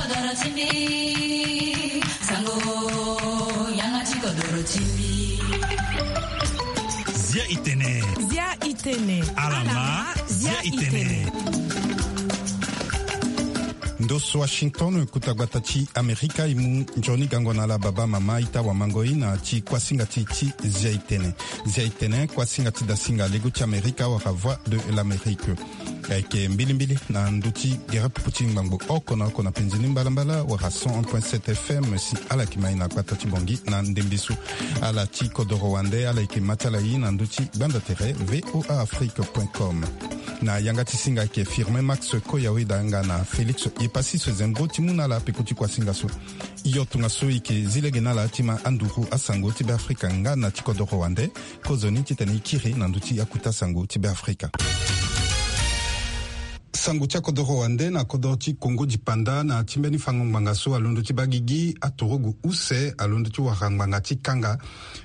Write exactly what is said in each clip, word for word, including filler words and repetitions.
Kodoro ti mbi, sango, yanga ti kodoro ti mbi. Zia i tene. Zia i tene. Ala ma, zia i tene. Ndo so Washington, kota gbata ti Amerika, e mu nzoni gango na ala baba, mama, ita, wamango, ina, ti kuasinga ti, ti Zia i tene. Zia i tene, kuasinga ti dasinga lego ti Amerika, wala Voix de l'Amérique. Ayeke mbilimbili na ndö ti gere popo ti ngbangbo oko na oko na penzi ni mbalambala, wala cent un point sept F M, si ala yeke ma e na gbata ti Bangui na ndembe so. Ala ti kodoro wande, ala yeke ma ti ala e na ndö ti gbanda tere V O A Afrique point com. Na yanga ti singa ayeke Firmin Max Koyaweda nga na Félix Yepassis Zembo ti mu na ala peko ti kuasinga so. Yo, tongaso e yeke zi lege na ala ti ma anduru asango ti Beafrika nga na ti kodoro wande. Kozoni titene e kiri na ndö ti akota sango ti Beafrika. Sango ti akodoro wande na kodoro ti Kongo dipanda na ti mbeni fango ngbanga so alondo ti baa gigi aturugu use, alondo ti wara ngbanga ti kanga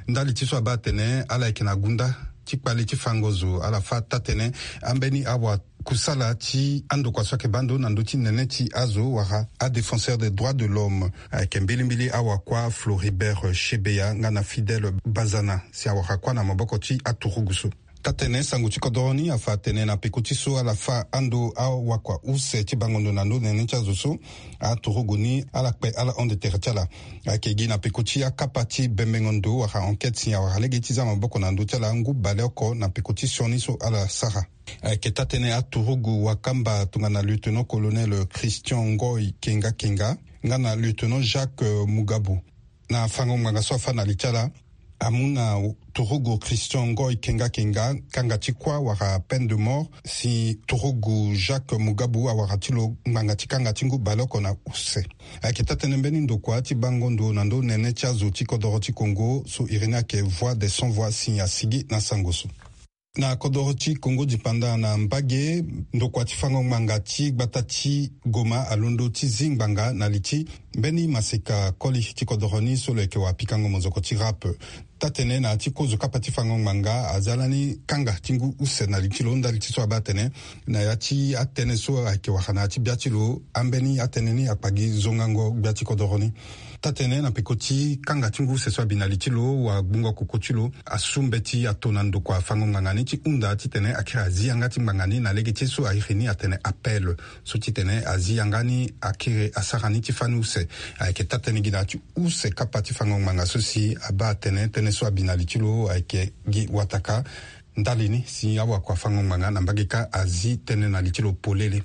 ndali ti so abaa atene ala yeke na gunda ti kpale ti fango zo, ala fâ taa-tënë ambeni awa kusala ti andokua so ayeke baa ndo na ndö ti nene ti azo wala adéfenseur des droits de l'homme. Ayeke mbilimbili awakua Floribert Chebeya nga na Fidèle Bazana si awara kuâ na maboko ti aturugu so. Taa-tënë sango ti kodoro ni afa atene na peko ti so ala fâ ando awakua use ti bango ndo na ndö nene ti azo so, aturugu ni ala kpe ala hon de tere ti ala. Ayeke gi na peko ti akapa ti bembengo ndo wala enquête si awara lege ti za maboko na ndö ti ala ngu baleoko na peko ti sioni so ala sara. Ayeke taa-tënë aturugu wakamba tongana lieutenant colonel Christian Ngoy Kenga Kenga nga na lieutenant Jacques Mugabu. Na fango ngbanga so afâ na li ti ala, amu na turugu Christian Ngoy Kenga Kenga kanga ti kuâ wala peine de mort, si turugu Jacques Mugabu awara ti lo ngbanga ti kanga ti ngu baleoko na use. Ayeke taa-tënë mbeni ndokua ti bango ndo na ndö nene ti azo ti kodoro ti Kongo so iri ni ayeke Voix des Sans Voix si asigi na sango so. Na kodoro ti Kongo dipanda na mbage, ndokua ti fango ngbanga ti gbata ti Goma alondo ti zi ngbanga na li ti mbeni maseka koli ti kodoro ni so lo yeke wapikango mozoko ti rap. Taa-tënë na ya ti kozo kapa ti fango ngbanga aza lani kanga ti ngu use na li ti lo ndali ti so abaa atene na ya ti atënë so ayeke wara na ya ti bia ti lo, ambeni atënë ni akpa gi zongango gbia ti kodoro ni. Taa-tënë na peko ti kanga ti ngu use so abi na li ti lo, wagbongo koko ti lo asu mbeti ato na ndokua fango ngbanga ni ti hunda titene akiri azi yanga ti ngbanga ni na lege ti ye so airi ni atene appel. So titene azi yanga ni akiri asara ni ti fani use. Ayeke taa-tënë gi na ya ti use kapa ti fango ngbanga so si abaa atene tënë so abi na li ti lo ayeke gi wataka. Ndali ni si awakua fango ngbanga na mbage kâ azi tënë na li ti lo polele.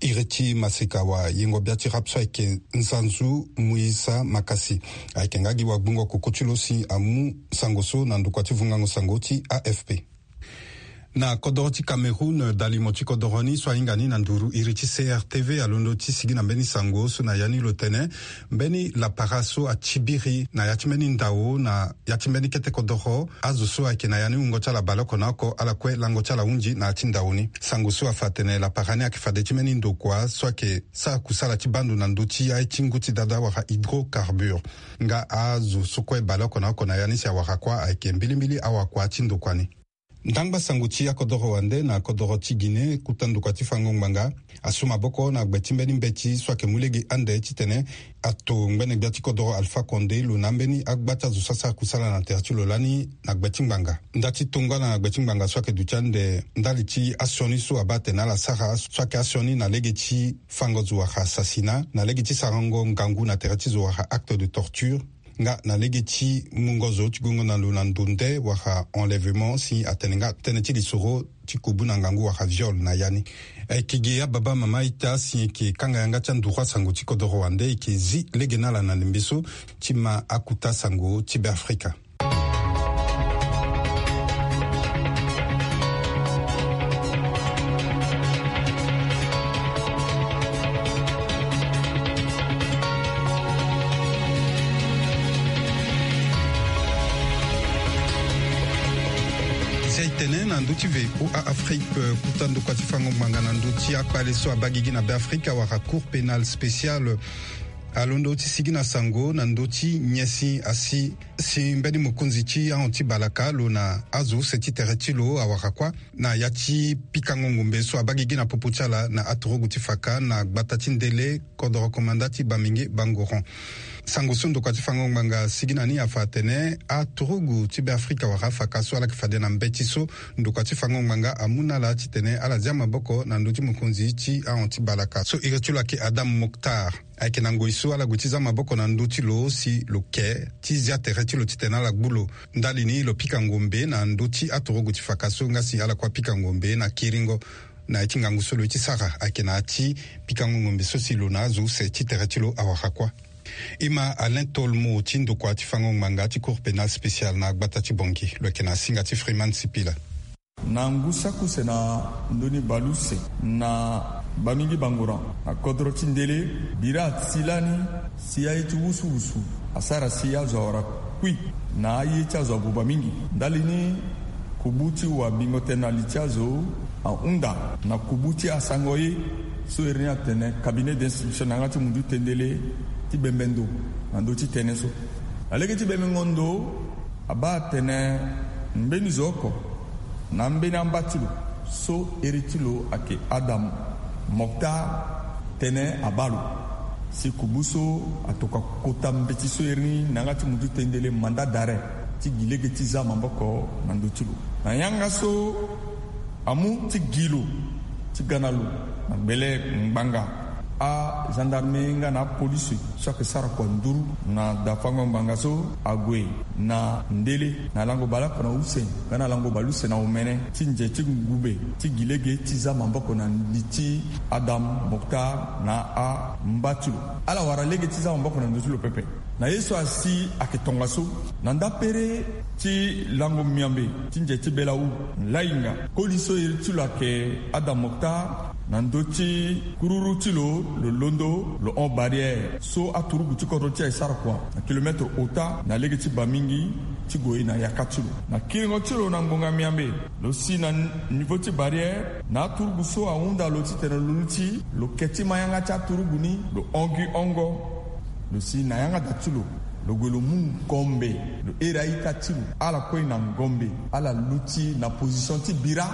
Iri ti maseka wayengo bia ti rap so ayeke Nzanzu Muisa Makasi. Ayeke nga gi wagbongo koko ti lo si amu sango so na ndokua ti vungango sango ti A F P. Na kodoro ti Cameroun, dalimo ti kodoro ni so ahinga ni na nduru iri ti C R T V alondo ti sigi na mbeni sango so na ya ni lo tene mbeni lapara so atibiri na ya ti mbeni ndao na ya ti mbeni kete kodoro, azo so ayeke na ya ni wungo ti ala baleoko na oko ala kue lango ti ala hunzi na ya ti ndao ni. Sango so afa atene lapara ni ayeke fade ti mbeni ndokua so ayeke sara kusala ti baa ndo na ndö ti aye ti ngu ti dada wala hydrocarbure. Nga azo so kue baleoko na oko na ya ni si awara kuâ ayeke mbilimbili awakua ti ndokua ni. Ndangba sango ti akodoro wande na kodoro ti Guinée, kota ndokua ti fango ngbanga asu maboko na gbe ti mbeni mbeti so ayeke mu lege ande titene ato ngbene gbia ti kodoro Alpha Condé lo na ambeni agba ti azo so asara kusala na tere ti lo lani na gbe ti ngbanga. Nda ti tongana na gbe ti ngbanga so ayeke duti ande ndali ti asioni so abaa atene ala sara so ayeke asioni na lege ti fango zo wala assassinat na lege ti sarango ngangu na tere ti zo wala acte de torture. Nga na lege ti mungo zo ti gongo na lo na ndo nde wala enlèvement si atene nga tënë ti lisoro ti kubu na ngangu wala viol na ya ni. Ayeke gi ababa mama ita si e yeke kanga yanga ti anduru asango ti kodoro wande e yeke zi lege na ala na ndembe so ti ma akota sango ti Beafrika. Zia e tene na ndö ti V O A Afrique, kota ndokua ti fango ngbanga na ndö ti akpale so abaa gigi na Beafrika wala Cour pénale spéciale. alondo ti sigi na sango na ndö ti nyen si asi si mbeni mokonzi ti ahon ti balaka lo na azo use ti tere ti lo awara kuâ na ya ti pikango ngombe so abaa gigi na popo ti ala na aturugu ti faka na gbata ti ndele kodoro komanda ti Bamingui Bangoran. Sango so ndokua ti fango ngbanga asigi na ni afa atene aturugu ti Beafrika wala afaka so ala yeke fade na mbeti so ndokua ti fango ngbanga amu na ala titene ala zia maboko na ndö ti mokonzi ti ahon ti balaka so iri ti lo ayeke Adam Moctar. Ayeke na ngoi so ala gue ti zia maboko na ndö ti lo si lo ke ti zia tere ti lo titene ala gbu lo. Ndali ni lo pika ngombe na ndö ti aturugu ti faka so nga si ala kue apika ngombe na kiringo. Na ya ti ngangu so lo ye ti sara ayeke na ya ti pikango ngombe so si lo na azo use ti tere ti lo awara kuâ. E ma Alain Tolmo ti ndokua ti fango ngbanga ti Cour pénale spéciale na gbata ti Bangui, lo yeke na singa ti Freeman Sipila. Na ngu saki use na ndoni baleuse na Bamingui Bangoran na kodro ti ndele, bira ati lani si aye ti wusuwusu asara si azo awara kui na aye ti azo abuba mingi. Ndali ni, kubu ti wabingo tënë na li ti azo ahunda na kubu ti asango ye so iri ni atene cabinet d'instruction na yanga ti mundu tendele ti bembe ndo na ndö ti tënë so. Na lege ti bembengo ndo, abaa atene mbeni zo oko na ambeni amba ti lo so iri ti lo ayeke Adam Moctar tene abaa lo. Si kubu so atokua kota mbeti so iri ni na yanga ti mundu tendele mandat d'arrêt ti gi lege ti zia maboko na ndö ti lo. Na yanga so amu ti gi lo ti ga na lo na gbele ngbanga, agendarme nga na apolisi so ayeke sara kua nduru na dafango ngbanga so ague na ndele na lango baleoko na use nga na lango baleuse na omene ti nze ti ngube ti gi lege ti zia maboko na li ti Adam Moctar na amba ti lo. Ala wara lege ti zia maboko na ndö ti lo pepe. Na ye so asi ayeke tongaso na ndapere ti lango miambe ti nze ti belawu, lainga koli so iri ti lo ayeke Adam Moctar na ndö ti kururu ti lo, lo londo lo hon barrière so aturugu ti kodro ti e asara kua na kilometre ota na lege ti Bamingui ti gue na yaka ti lo. Na kiringo ti lo na ngonga miambe, lo si na niveau ti barrière na aturugu so ahunda lo titene lo luti, lo ke ti ma yanga ti aturugu ni, lo hon gi hongo. Lo si na yanga da ti lo, lo gue lo mu ngombe, lo here a-ita ti lo. Ala kue na ngombe, ala luti na position ti bira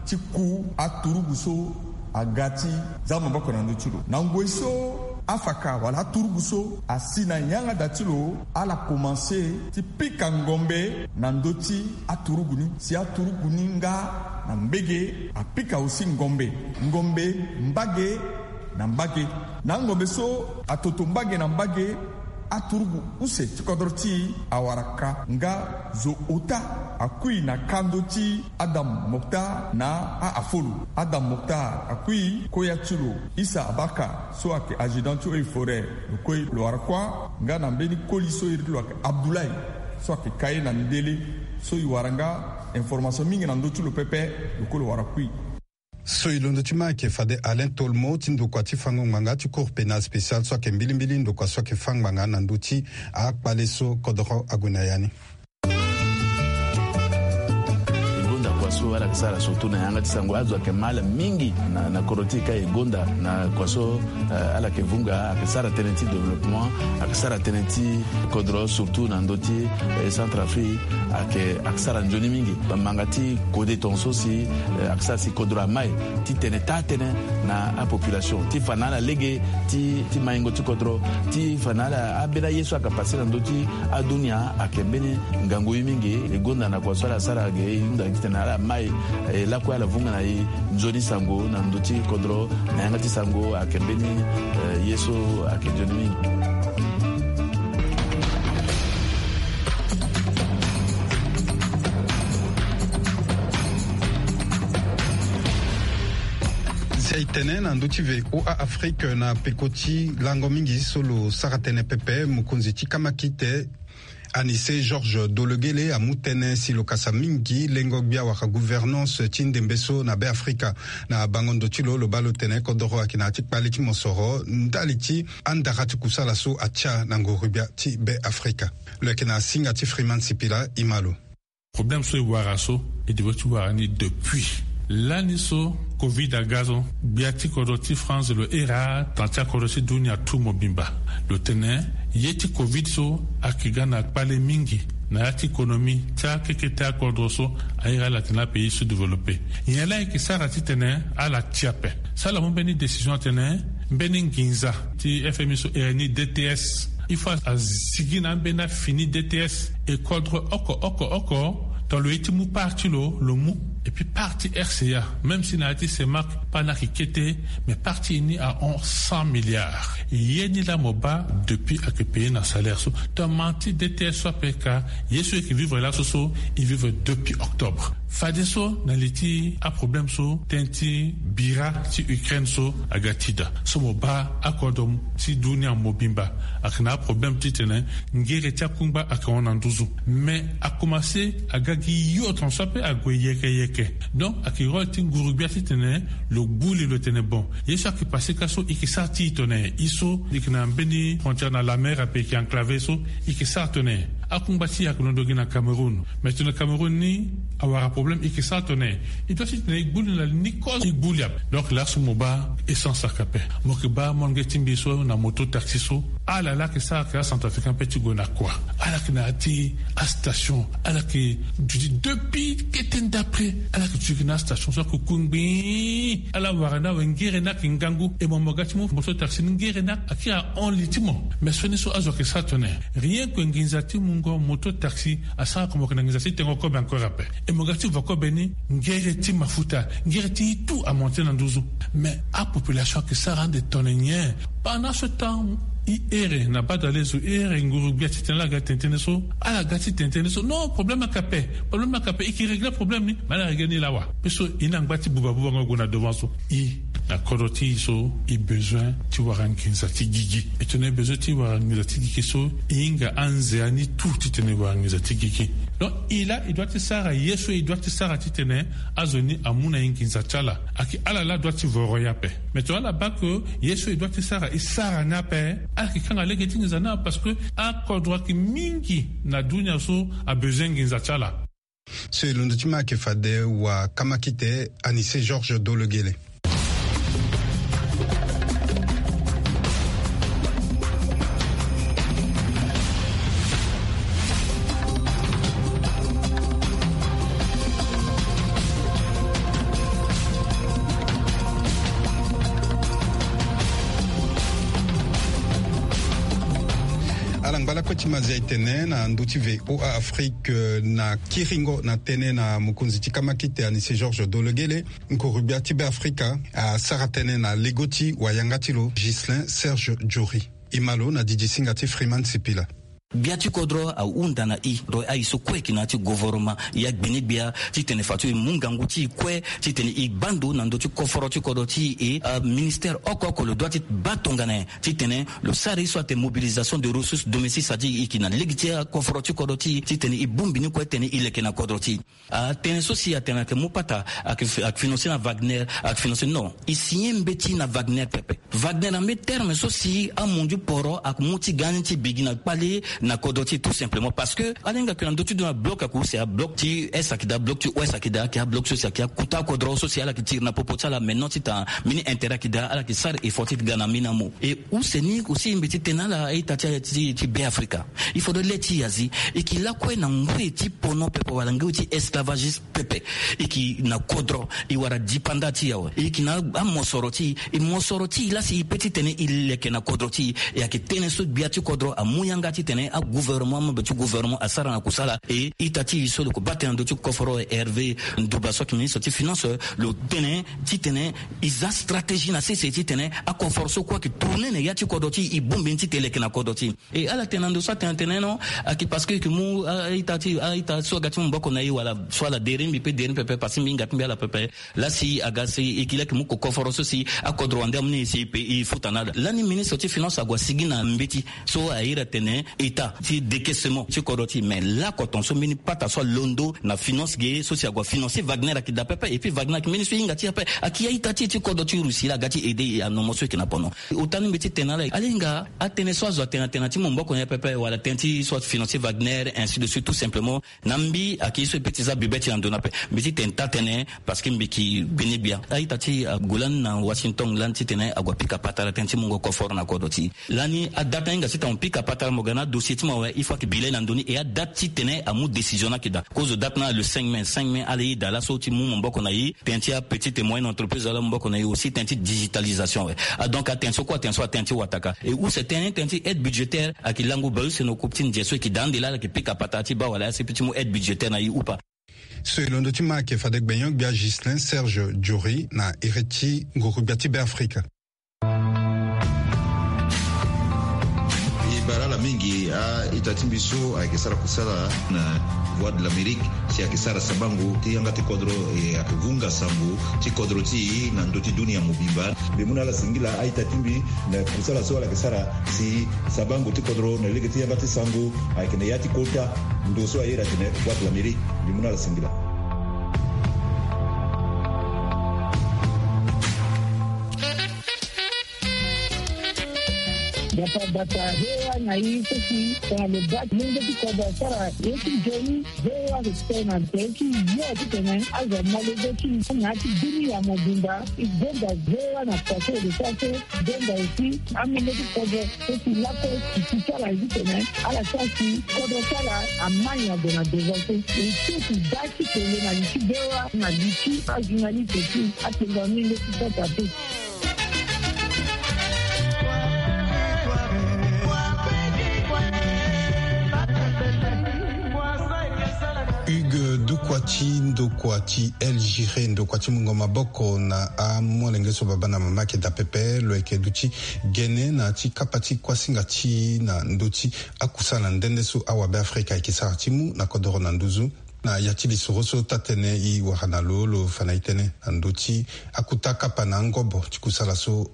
ti ku aturugu so aga ti zia maboko na ndö ti lo. Na ngoi so afaka wala aturugu so asi na yanga da ti lo, ala komanse ti pika ngombe na ndö ti aturugu ni, si aturugu ni nga na mbage apika aussi ngombe, ngombe mbage na mbage. Na angombe so atoto mbage na mbage, aturugu use ti kodro ti e awara ka nga zo ota akui na kando ti Adam Moctar na a-afolo. Adam Moctar akui, koya ti lo Issa Abaka so ayeke adjudant ti eaux et forêts, lo kue lo wara kuâ, nga na mbeni koli so iri ti lo ayeke Abdoulaye so ayeke ka ye na ndele, so e wara nga information mingi na ndö ti lo pepe, lo kue lo wara kui. So e londo ti ma ayeke fade Alain Tolmo ti ndokua ti fango ngbanga ti Cour pénale spéciale so ayeke mbilimbili ndokua so ayeke fâ ngbanga na ndö ti akpale so kodoro ague na ya ni. E gonda kua so ala yeke sara surtout na yanga ti sango, azo ayeke ma ala mingi na, na kodro ti e ka e gonda na kua so, eh, ala yeke vunga, ayeke sara tënë ti développement, ayeke sara tënë ti kodro surtout na ndö ti, eh, Centrafrique, ayeke, ayeke sara nzoni mingi. Bamanga ti kode tongaso si, eh, ayeke sara si kodro amai titene taa tënë na apopulation ti fa na ala lege ti, ti maingo ti kodro, ti fa na ala ambeni aye so ayeke passe na ndö ti adunia, ayeke mbeni ngangu ye mingi. E gonda na kua so ala sara ge, e hunda titene ala mai, eh, lakue ala vunga na e nzoni sango na ndö ti kodro. Na yanga ti sango ayeke mbeni, eh, ye so ayeke nzoni mingi. Si aye tene na ndö ti V O A Afrique na peko ti lango mingi so lo sara tënë pepe, mokonzi ti kamakite Anissé Georges Dologuélé amu tënë si lo kasa mingi lengo gbia wala gouvernance ti ndembe so na Beafrika. Na bango ndo ti lo, lo baa lo tene kodoro ayeke na ya ti kpale ti mosoro ndali ti andara ti kusala so atia na nguru-gbia ti Beafrika. Lo yeke na singa ti Freeman Sipila, e ma lo. Problème so e wara so, e devait ti wara ni depuis Lani so covid aga so, gbia ti kodro ti France lo iri atanga ti akodro ti dunia tu mobimba. Lo tene ye ti covid so ayeke ga na kpale mingi na ya ti économie ti akekete akodro so airi ala tene apays sous-développé. Nyen laa e yeke sara titene ala ti ape? So ala mu mbeni décision atene mbeni nginza ti F M I so iri ni D T S, il faut asigi na ambeni afini D T S. E kodro oko oko oko, tongana lo ye ti mu part ti lo, lo mu. Et puis part ti R C A, même si na ya ti CEMAC part ni ayeke kete, mais part ti e ni ahon cent milliards. Ye ni laa mo baa depuis ayeke payer na salaire so. Tongana ti D T S so ape ka, ye so e yeke vivre laso so, e vivre depuis octobre. Fadeso na li ti aproblème so, tënë ti bira ti Ukraine so aga ti daa. So mo baa akodro ti dunia mobimba ayeke na aproblème titene ngere ti akungba ayeke hon na nduzu. Mais akomanse aga gi yo tongaso ape ague yeke yeke. Donc ayeke rôle ti nguru-gbia titene lo gbu li, lo tene bon, ye so ayeke passé ka so e yeke sara ti e tongana nyen? E so e yeke na mbeni frontière na la mer ape, e yeke enclavé so, e yeke sara tongana nyen? Akungba ti e ayeke londo gi na Cameroun. Mais tongana Cameroun ni awara problème, e yeke sara tongana nyen? E doit titene e gbu li na ni kozo, e gbu li ape. Donc laso mo baa essence ayeke ape. Mo yeke baa molenge ti mbi so na moto taxi so, ala laa ayeke sara ayeke acentrafricain ape ti gue na kua. Ala yeke na ya ti astation, ala yeke duti depuis kete ndapre. Ala yeke duti na astation so ayeke ku ngbii. Ala wara ni awe, ngere ni ayeke ngangu. E mo, mo ga ti mu moto taxi ni, ngere ni ayeke ahon li ti mo. Mais sioni so azo ayeke sara tongana nyen? Rien que nginza ti mungo moto taxi asara oko mo yeke na nginza ti tengo kobe encore ape. E mo ga ti vo kobe ni, ngere ti mafuta, ngere ti tout amonte na nduzu. Mais apopulation ayeke sara ande tongana nyen? Pendant ce temps, e here na badalezo, e here nguru-gbia titene ala ga tene tënë so, ala ga ti tene tënë so. Non, problème ayeke ape, problème ayeke ape. E yeke régler problème ni, mais ala régler ni laa wa? Pe so e na ngba ti buba buba ngo gue na devant so. E na kodro ti e so, e besoin ti wara nginza ti gigi. E tongana e besoin ti wara nginza ti gigi so, e hinga anzea ni tout titene e wara nginza ti gigi. Donc e laa e doit ti sara ye so e doit ti sara titene azo ni amu na e nginza ti ala. Ayeke ala laa doit ti voro e ape. Mais tongana ala baa ke ye so e doit ti sara e sara ni ape, ala yeke kanga lege ti nginza ni ape, parce que akodro ayeke mingi na dunia so abezoin nginza ti ala. So e londo ti ma ayeke fade wa kamakite Anissé Georges Dolegele. Ala ngba lakue ti mazia e tene na ndö ti V O A Afrique, euh, na kiringo na tënë na mokonzi ti kamakite Anissé Georges Dolegele, nguru-gbia ti Beafrika asara tënë na lego ti wayanga ti lo Ghislain Serge Jory. E ma lo na didi singa ti Freeman Sipila. Gbia ti kodro ahunda na e, do aye so kue e yeke na ya ti gouvernement, ya gbeni gbia, titene fadeso e mu ngangu ti e kue titene e baa ndo na ndö ti koforo ti kodro ti e. Aministère oko oko lo doit ti baa tongana nyen titene lo sara ye so atene mobilisation de ressources domestiques, c'est-à-dire e yeke na lege ti akoforo ti kodro ti e titene e bongbi ni kue titene e leke na kodro ti e. Atënë so si atene ayeke mu pata, ayeke fi-, ayeke financé na Wagner, ayeke financé, non. E signé mbeti na Wagner pepe. Wagner na mbeti terme so si amundu poro ayeke mu ti ga ni ti bigi na kpale na kodro ti e, tout simplement. Parce que ala hinga ke na ndö ti dunia, bloc ayeke use, abloc ti est ayeke daa, bloc ti ouest ayeke daa, ayeke abloc so si ayeke akota kodro so si ala yeke tiri na popo ti ala, mais non ti tanga mbeni intérêt ayeke daa, ala yeke sara effort ti ga na mbeni amu. E use ni aussi mbeti tene ala a-ita ti, ti, ti Beafrika. Il faudrait le ti e azi, e yeke lakue na ngoi ti pono pepe wala ngoi ti esclavagiste pepe. E yeke na kodro, e wara dipanda ti e awe. E yeke na amosoro ti e, e mosoro ti e laa si e pe titene e leke na kodro ti e. E ayeke tënë so gbia ti kodro amu yanga titene agouvernement, amembre ti gouvernement asara na kusala. E ita ti e so lo yeke baa tënë na ndö ti koforo, Hervé Ndouba so ayeke ministre ti finance, lo tene titene e za stratégie na sese titene akoforo so kue ayeke tourné na ya ti kodro ti e, e bongbi ni titene e leke na kodro ti e. E ala tene na ndo so atene atene non, ayeke parce que e yeke mu a-ita ti, a-ita so aga ti mu maboko na e wala so ala deri mbi pe deri mbi pepe, parce que mbi hinga ti mbi ala pepe. Laa si aga si e yeke laa e yeke mu kokoforo so si akodro wande amu ni e si e pe e futa na ala. Lani ministre ti finance ague asigi na mbeti so a iri atene e ta ti décaissement ti kodro ti e. Mais lako ton so mbeni pata so alondo na finance ge so si ague afinancer Wagner ayeke daa pepe. Et puis Wagner ayeke mbeni so e hinga ti e ape, ayeke a-ita ti e ti kodro ti Russie laa aga ti aider e na nomo so e yeke na pono. Ota ni mbi ti tene na ala, ala hinga atënë so azo atene na tënë ti mu maboko na e pepe wala tënë ti so afinancer Wagner, ainsi de suite, tout simplement. Na mbi ayeke ye so e peut ti za bibe ti na ndo ni ape. Mbi ti tene taa tënë parce que mbi yeke gbene gbia. A-ita ti e ague lani na Washington lani titene ague apika patara tënë ti mungo koforo na kodro ti e. Lani adate ni hinga titene mo pika patara, mo ga na adossier ti mo awe, il faut ayeke bi le na ndo ni. Et adate titene amu décision ni ayeke daa. Kozo date ni le cinq mai. Cinq mai, ala ye daa laso ti mu maboko na e. Tënë ti apetite et moyenne entreprise ala mu maboko na e aussi, tënë ti digitalisation awe. Ah, donc atënë so kue, atënë so atënë ti wataka. Et use tënë, tënë ti aide budgétaire ayeke lango bale use na kop ti nze so e yeke daa ande laa ala yeke pika patara ti baa wala A C P ti mu aide budgétaire na e ou pas. So e londo ti ma ayeke fade gbenyo-gbia Ghislain Serge Diori na iri ti nguru-gbia ti Beafrika. E bale ala mingi a-ita ti mbi so ayeke sara kusala na Voix de l'Amérique, si ayeke sara sabango ti yanga ti kodro, e ayeke vunga sango ti kodro ti e na ndö ti dunia mobimba. Mbi mu na ala singila a-ita ti mbi na kusala so ala yeke sara si sabango ti kodro na lege ti yanga ti sango ayeke na ya ti kota ndo so a iri atene Voix de l'Amérique. Mbi mu na ala singila. Bata bata, V O A na e so si tongana lo baa ti lenge ti kodro asara ye ti nzoni, V O A ayeke tene na tere ti yo titene azo amolenge ti e na ya ti dunia mobimba. E gonda V O A na pase de pase, e gonda aussi amolenge ti kodro so si lakue e ti ti ti ala ye titene ala sara si kodro ti ala amai na gue na devant so. E so e ti baa ti tene na li ti V O A na li ti ajournaliste ti atengua ni leti sata te. Hugues Doukwati, ndokua ti El Giré, ndokua ti mungo maboko na amolenge so babâ na mama ayeke daa pepe, lo yeke duti gene na ti kapa ti kuasinga ti e na ndö ti akusala nde nde so awabe Afrika ayeke sara ti mu na kodoro na nduzu. Na ya ti lisoro so taa-tënë e wara na lo, lo fa na e tënë na ndö ti akuta kapa na angobo ti kusala so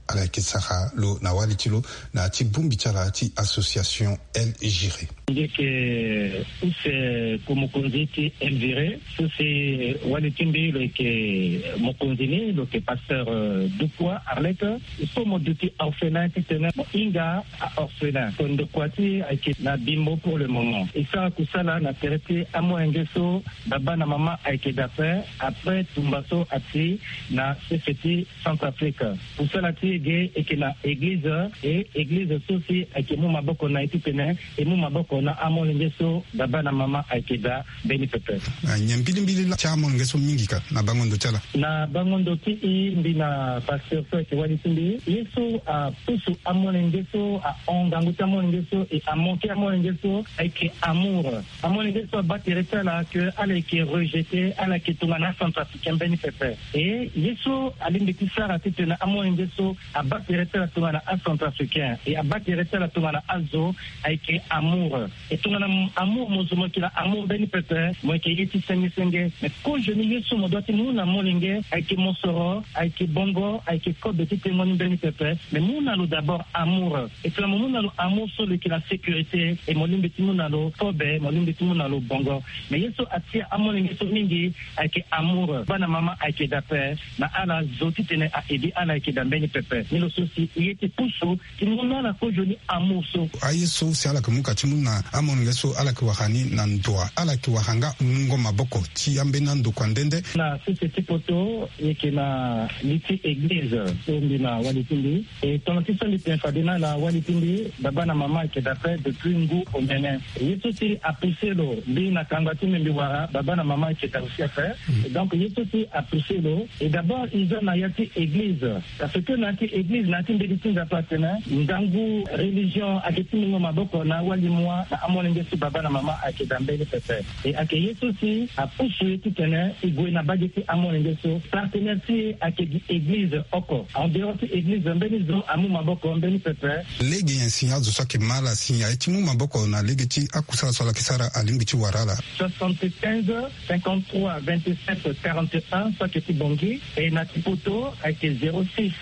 ala yeke sara lo na wali ti lo na ya ti bongbi ti ala ti association El Giré. Mbi yeke use ko mokonzi ti El Giré, so si wali ti mbi lo yeke mokonzi ni, lo yeke pasteur, euh, Dukwa Arlette. Il faut mo duti orphelin titene mo hinga a-orphelin. So ndokua ti e ayeke na bimbo pour le moment. E sara kusala na tere ti amolenge so babâ na mama ayeke daa ape, après tumba so ati na sese ti Centrafrique. Kusala ti e ge e yeke na église, e église so si ayeke mu maboko na e titene e mu maboko na amolenge so babâ na mama ayeke daa mbeni pepe. Ah, nyen mbilimbili laa ti amolenge so mingi ka na bango ndo ti ala? Na bango ndo ti e, mbi na pasteur so ayeke wali ti mbi, ye so apusu amolenge so, ahon ngangu ti amolenge so, e amanke amolenge so ayeke amour. Amolenge so abaa tere ti ala ke ala yeke rejeté, ala yeke tongana acentrafricain mbeni pepe. E ye so alingbi ti sara titene amolenge so abaa tere ti ala tongana acentrafricain, e abaa tere ti ala tongana azo, ayeke amour. E tongana m-, amour mo zo mo yeke na amour mbeni pepe, mo yeke ye ti senge senge. Mais kozoni ye so mo doit ti mu na molenge ayeke mosoro, ayeke bongo, ayeke kobe ti tengo ni mbeni pepe. Mais mu na lo d'abord amour. E tongana mo mu na lo amour so lo yeke na sécurité, e mo lingbi ti mu na lo kobe, mo lingbi ti mu na lo bongo. Mais ye so atia amolenge so mingi ayeke amour. Babâ na mama ayeke daa ape, na ala zo titene a-aider ala ayeke daa mbeni pepe. Ni lo so si e ye ti pusu ti mu na ala kozoni amour so. Aye so si ala yeke mu ka ti mu na amolenge so ala yeke wara ni na ndo wa, ala yeke wara nga mungo maboko ti ambeni andokua nde nde. Na sese ti poto, e yeke na li ti église so mbi na wali ti mbi. E tongana ti so mbi tene fade na ala, wali ti mbi, babâ na mama ayeke daa ape depuis ngu omene. Ye so si apoussé lo, mbi na kangba ti mbi mbi wara, babâ na mama ayeke daa aussi ape. Mm. Donc ye so si apoussé lo, e d'abord e za na ya ti église. Parce que na ya ti église, na ya ti mbeti ti Nzapa atene ngangu religion ayeke ti mungo maboko na awali moi na amolenge so babâ na mama ayeke daa mbeni pepe. E ayeke ye so si apusu e titene e gue na bage ti amolenge so. Partenaire ti e ayeke gi église oko. En dehors ti église, mbeni zo amu maboko mbeni pepe. Lege nyen si azo so ayeke ma ala si aye ti mu maboko na lege ti akusala so ala yeke sara alingbi ti wara ala? Soixante-quinze, cinquante-trois, vingt-sept, quarante et un, so ayeke ti Bangui. E na ti poto ayeke zéro six,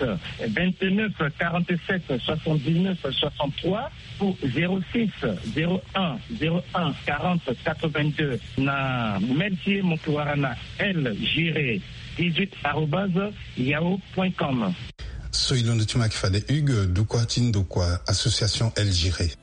vingt-neuf quarante-sept soixante-dix-neuf soixante-trois ou zéro six zéro un zéro un quarante quatre-vingt-deux. Na mail ti e mo ke wara na L Giré dix-huit arobase yahoo point com. So e londo ti mo ayeke fade Hugues, dukua ti ndokua association L Giré.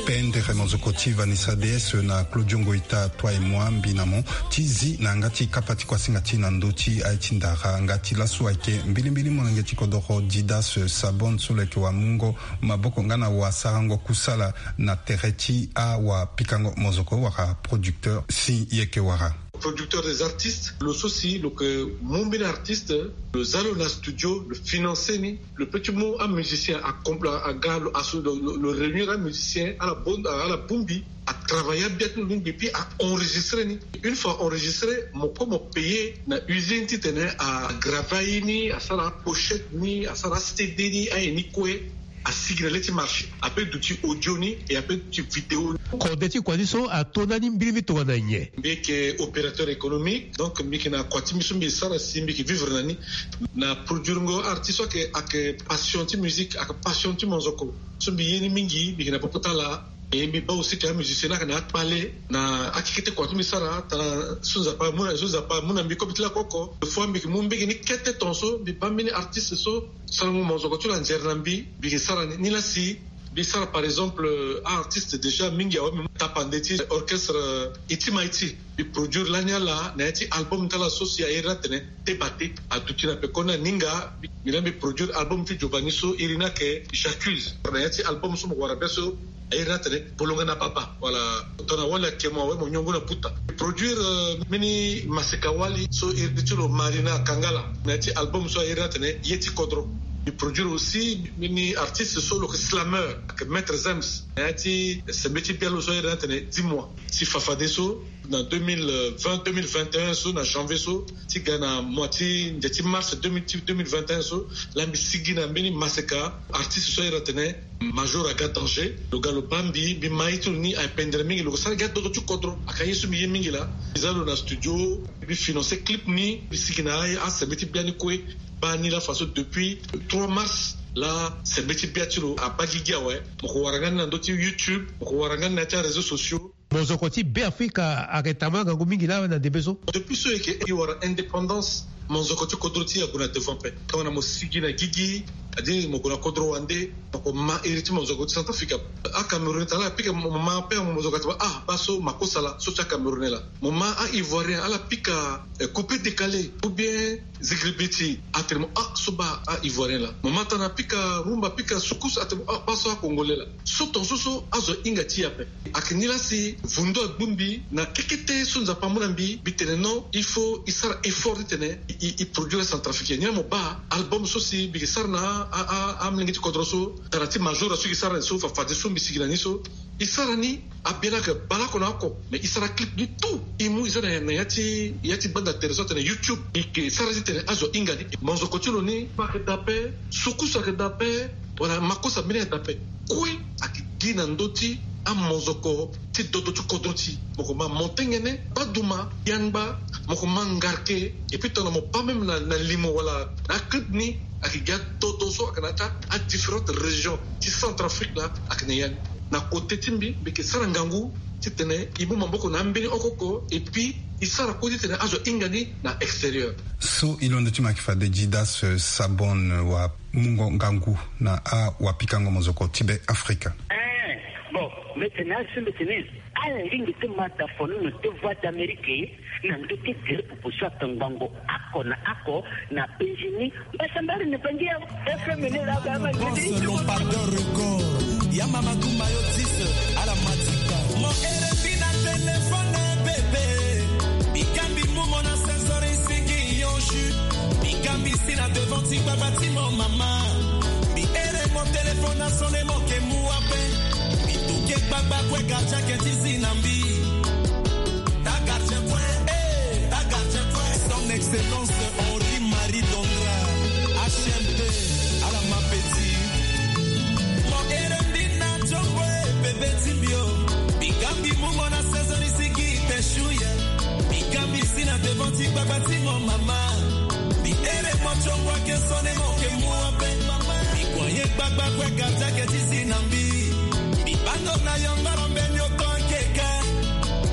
Pendere mozoko ti Vanessa D S na Claudio Ngoita, toi et moi, mbi na mo ti zi na yanga ti kapa ti kuasinga ti na ndö ti aye ti ndara. Yanga ti laso ayeke mbilimbili molenge ti kodoro Didas Sabon so lo yeke wamungo maboko nga na wasarango kusala na tere ti awapikango mozoko wala producteur si yeke wara. Producteur des artistes, lo so si lo yeke mu mbeni artiste, lo za lo na studio, lo financer ni, lo peut ti mu amusicien, a compl- a ga lo asu lo, lo, lo réunir amusicien ala bon, ala bongbi, a travailler abia ti lo lingbi puis a enregistrer ni. Une fois enregistré, mo kue mo payer na usine titene a graver aye ni, asara apochette ni, asara aCD ni, aye ni kue. Asigi na le ti marché, ape duti audio ni et ape duti vidéo ni. Kode ti kua ti so ato ndani mbirimbiri tongana nyen? Mbi yeke opérateur économique, donc mbi yeke na kua ti mbi so mbi sara si mbi yeke vivre na ni. Na produirengo artiste so ayeke, ayeke passion ti musique, ayeke passion ti monzoko. So mbi ye ni mingi, mbi yeke na popo ti ala. Et mbi baa aussi ke amusicien ni ayeke na akpale na akekete kua ti mbi sara tana so Nzapa amu na, so Nzapa amu na mbi kobe ti lako oko. Des fois mbi yeke mu mbege ni kete tongaso mbi baa mbeni artiste so sarango monzoko ti lo anzere na mbi, mbi yeke sara ni. Ni la si mbi sara par exemple, euh, artiste déjà mingi awe mbi mu tapande ti orchestre, euh, Iti Maiti. Mbi produire lani ala na ya ti album ti ala so si a iri ni atene Te Bate. Aduti na pekoni aninga. Mbi la mbi produire album ti Giovanni so iri ni ayeke J'accuse. Na ya ti album so mo wara be so a iri ni atene Bolonga na Baba. Voilà. Tongana wali ayeke mo awe mo nyongo na buta. Mbi produire, euh, mbeni maseka wali so iri ti lo Marina Kangala na ya ti album so a iri ni atene Ye ti Kodro. Mbi produire aussi mbeni artiste so lo yeke slameur, ayeke Maître Zems, na ya ti sembe ti bia lo so a iri ni atene Dis-moi. Si fafadeso na deux mille vingt, deux mille vingt et un so na janvier so ti ga na mois ti ndia ti mars deux mille, ti deux mille vingt et un so, la mbi sigi na mbeni maseka artiste so a iri atene Major Aga Danger. Lo ga lo baa mbi, mbi ma ye ti lo ni ayeke pendere mingi, lo yeke sara gi adodo ti kodro. Ayeke aye so mbi ye mingi laa. Mbi za lo na studio, mbi financer clip ni, mbi sigi na aye asembe ti bia ni kue. Baa ni la façon depuis trois mars la sembe ti bia ti lo abaa gigi awe. Mo ko wara nga ni na ndö ti YouTube, mo ko wara nga ni na ya ti aréseaux sociaux. Monzoko ti Beafrika ayeke tambula ngangu mingi laa na ndembe so. Depuis so e yeke e wara indépendance, monzoko ti kodro ti e ague na devant ape. Tongana mo sigi na gigi, c'est-à-dire mo gue na kodro wande, mo ko ma iri ti monzoko ti Centrafrique. Acameroun tara ala pika mo ma ape, monzoko atene ah, baa so Makossa laa, so ti acamerounais laa. Mo ma a-ivoirien ala pika, eh, coupé décalé ou bien zigiribiti, atene mo ah, so baa a-ivoirien laa. Mo ma tana pika rumba, pika soukous, atene mo ah, baa so acongolais laa. So tongaso so azo ahinga ti e ape. Ayeke ni la si vundu agbu mbi na kekete so Nzapa amu na mbi, mbi tene non, il faut e sara effort titene e, e, e produire centrafricain. Ni la mo baa album so si mbi yeke sara na a, a, amolenge ti kodro so, tara ti Major so e yeke sara ni so, fafadeso mbi sigi na ni so. E sara ni, abia ni ayeke baleoko na oko, mais e sara clip ni tout. E mu e za na, na ya ti, ya ti banda tere so atene YouTube. E yeke sara titene azo ahinga ni. Monzoko ti lo ni ayeke daa ape, soukous ayeke daa ape, wala Makossa mbeni ayeke daa ape. Kue ayeke gi na ndö ti amonzoko ti dodo ti kodro ti e. Mo ko ma Montenguene, Baduma, Yangba, mo ko ma Ngarke, et puis tongana mo baa même na, na limo wala na aclip ni, ayeke gi adodo so ayeke na ya ti adifférentes régions ti Centrafrique laa, ayeke na ya ni. Na kote ti mbi, mbi yeke sara ngangu titene e mu maboko na ambeni oko oko, et puis e sara kue titene azo ahinga ni na extérieur. So e londo ti mo ayeke fade Didas, euh, Sabon, euh, wa mungo ngangu na awapikango mozoko ti Be Afrika. Eh, bon, mbi tene asi mbi tene, ala lingbi ti ma dafono na te Voix d'Amérique na ndö ti gere popo so ayeke ngbongo oko na oko na penzi ni. Mbasambari ni bangi ya F M ni la ba ma. Boss Lompardeur Record, ya mama Gumba yo dix, ala matika. Mon R F I na téléphone. Mama, mbi ere mo téléphone asone mo ke mu ape. Mbi tuke gbagba kue gardien ke ti zi na mbi. Ta gardien kue, eh, ta gardien kue. Son excellence Henri Marie Dondra, H M D, ala ma petit. Mo ere mbi na tio kue bebe ti mbi o. Mbi ga mbi mu mo na saison ni sigi te shu ye. Mbi ga mbi si na devant ti gbagba ti mo mama. Mbi ere mo tio kue ke sone mo ke mu ape. Mbi kua ye gbagba kue gardien ke ti zi na mbi. Mbi bando na yongoro mbeni oto akeka.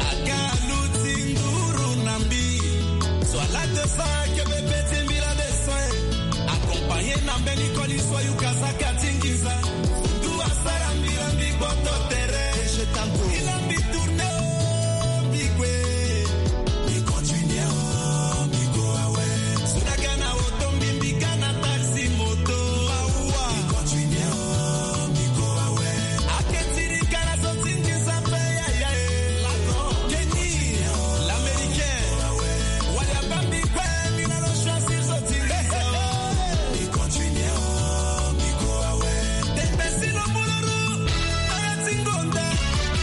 Aga aluti nduru na mbi. So ala deux cents ke bebe ti mbi la deux cents. Accompagné na mbeni koli so ayuka saka ti nginza. Ndu asara mbi la mbi gboto tere. Mbi la mbi tourné o, mbi gue. Mbi continue o, mbi go awe. So na ga na oto mbi, mbi ga na taxi moto. Mawa. Mbi continue o, mbi go awe. Ake ti ri ga na zo ti nginza pe yaya e. Kenny, l'américain. Wali abâ mbi kue, mbi na lo choisir zo ti nginza. Mbi continue o, mbi go awe. Tete si lo mu lo ru. Aya ti ngonda.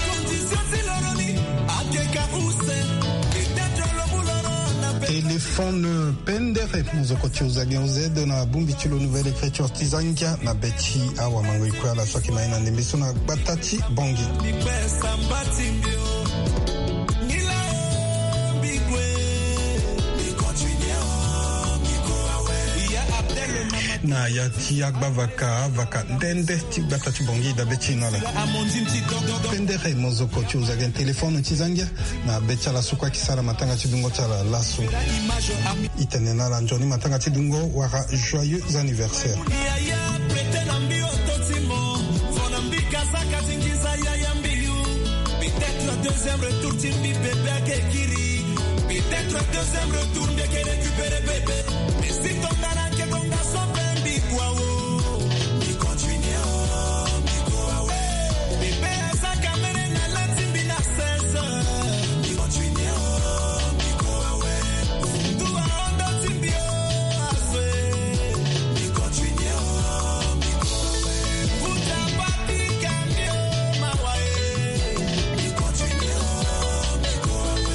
Condition ti lo ro ni. Akeka use. Peut-être lo mu lo ro na pe. Téléphone pendere, mo zo ko ti uza gen uze de na bongbi ti lo Nouvelle Écriture ti za ngia na be ti awamangoi kue ala so ayeke ma ye na ndembe so na gbata ti Bangui. Na ya ti agbavaka, avaka nde nde ti gbata ti Bangui dabe ti e na ala. Pendere mo zo ko ti uza gen téléphone ti za ngia. Na be ti ala so kue ayeke sara matanga ti dungo ti ala laso. E tene na ala nzoni matanga ti dungo wala joyeux anniversaire. Yaya prete na mbi oto ti mo. Vo na mbi kasaka ti nginza yaya mbi yu. Peut-être deuxième retour ti mbi bebe ake kiri. Peut-être deuxième retour mbi eke récupérer bebe. Mais si tongana ake tonga so pe mbi kua o. Mbi continue o, mbi kua o. Bebe asaka mene na la ti mbi na seize. Mbi continue o, mbi kua o. Ndu ahondo ti mbi o, azo e. Mbi continue o, mbi kua o. Mbuta Patrick Amio, mawa e. Mbi continue o, mbi kua o.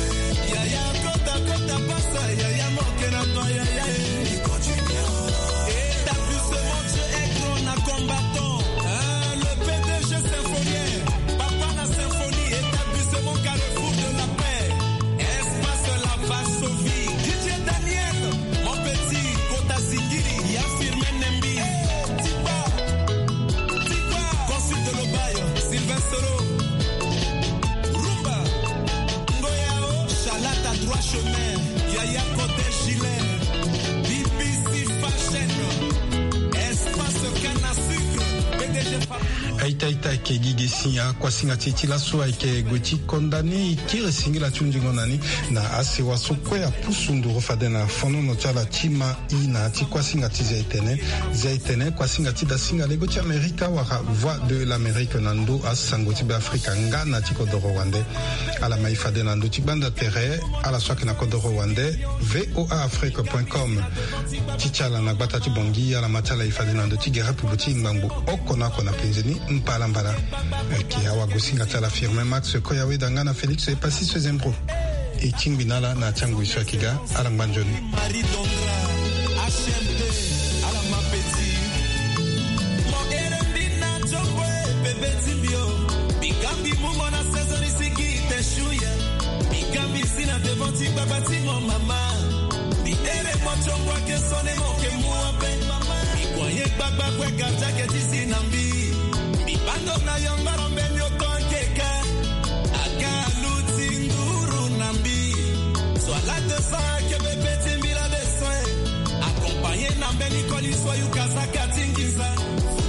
Yaya kota kota pasa, yaya moke na toi, yaya e. Mbi continue o. Établissement Dieu est grand na combattant. Hein, le P D G Symphonien, papa na symphonie, établissement Carrefour de la Paix, espace La Varsovie, D J Daniel, mon petit, kota singiri, ya Firmin Nembi, eh, Tipa, Tipa, consul de l'Obaye, Sylvain Soro, Rumba, Ngoyao, Chalata, droit chemin, Yaya Kote Gilet, B B C Fashion, espace canne à sucre, P D G Aita aita ayeke gi ge si akuasinga ti e ti laso ayeke gue ti konda ni, e kiri singila ti hunzingo na ni na asewa so kue apusu nduru fade na fonono ti ala ti ma i na ya ti kuasinga ti Zia-Etene. Zia-Etene, kuasinga ti dasinga lego ti Amerika wala Voix de l'Amérique na ndö asango ti Beafrika nga na ti kodoro wande. Ala ma e fade na ndö ti gbanda tere, ala so ayeke na kodoro wande, V O A Afrique point com. Ti ti ala na gbata ti Bangui, ala ma ti ala e fade na ndö ti gere pupu ti ngbangbo oko na oko na penze ni, mbalambala. Ayeke awagosinga ti ala Firmin Max Koyaweda nga na Félix Epassis Sezembro. E tingbi na ala na ya ti angoi so ayeke ga, ala ngba nzoni. Marie Dondra, H M D, ala ma petit. Mo ere mbi na tio kue bebe ti mbi o. Mbi ga mbi mu mo na saison ni sigi te shu ye. Mbi ga mbi si na devant ti gbagba ti mo mama. Mbi ere mo tio kue ake sone mo ke mu ape. Mbi kua ye gbagba kue gardien ake ti si na mbi. Mbi bando na yongoro mbeni oto ake ka. Aga aluti nduru na mbi. So ala deux cents ake bebe ti mbi la deux cents. Accompagné na mbeni koli so ayuka saka ti nginza.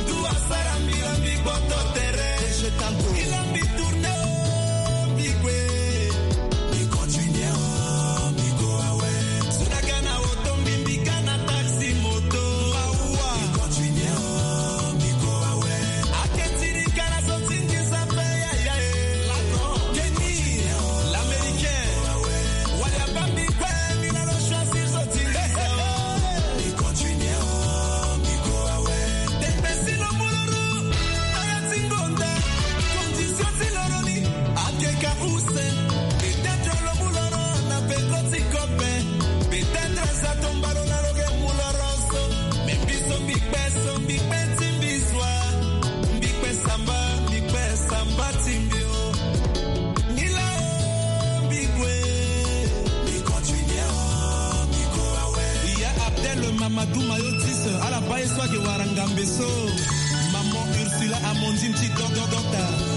Ndu asara mbi la mbi gboto tere. Mbi la mbi tourné o, mbi gue. Mbi continue o, mbi go awe. So na ga na oto mbi, mbi ga na taxi moto. Mbi continue o, mbi go awe. Peut-être lo mu loro na peko ti kope. Peut-être aza tomba lo na lo ke mu loro so. Mais biso mbi kpe so, mbi kpe ti mbi zwa. Mbi kpe samba, mbi kpe samba ti mbi o. Mbi la o, mbi gue. Mbi continue o, mbi gue awe. Iya Abdel Mamadou Mayotis, ala baa ye so ayeke wara ngambe so. Maman Ursula Amandine ti doc, doc, docteur.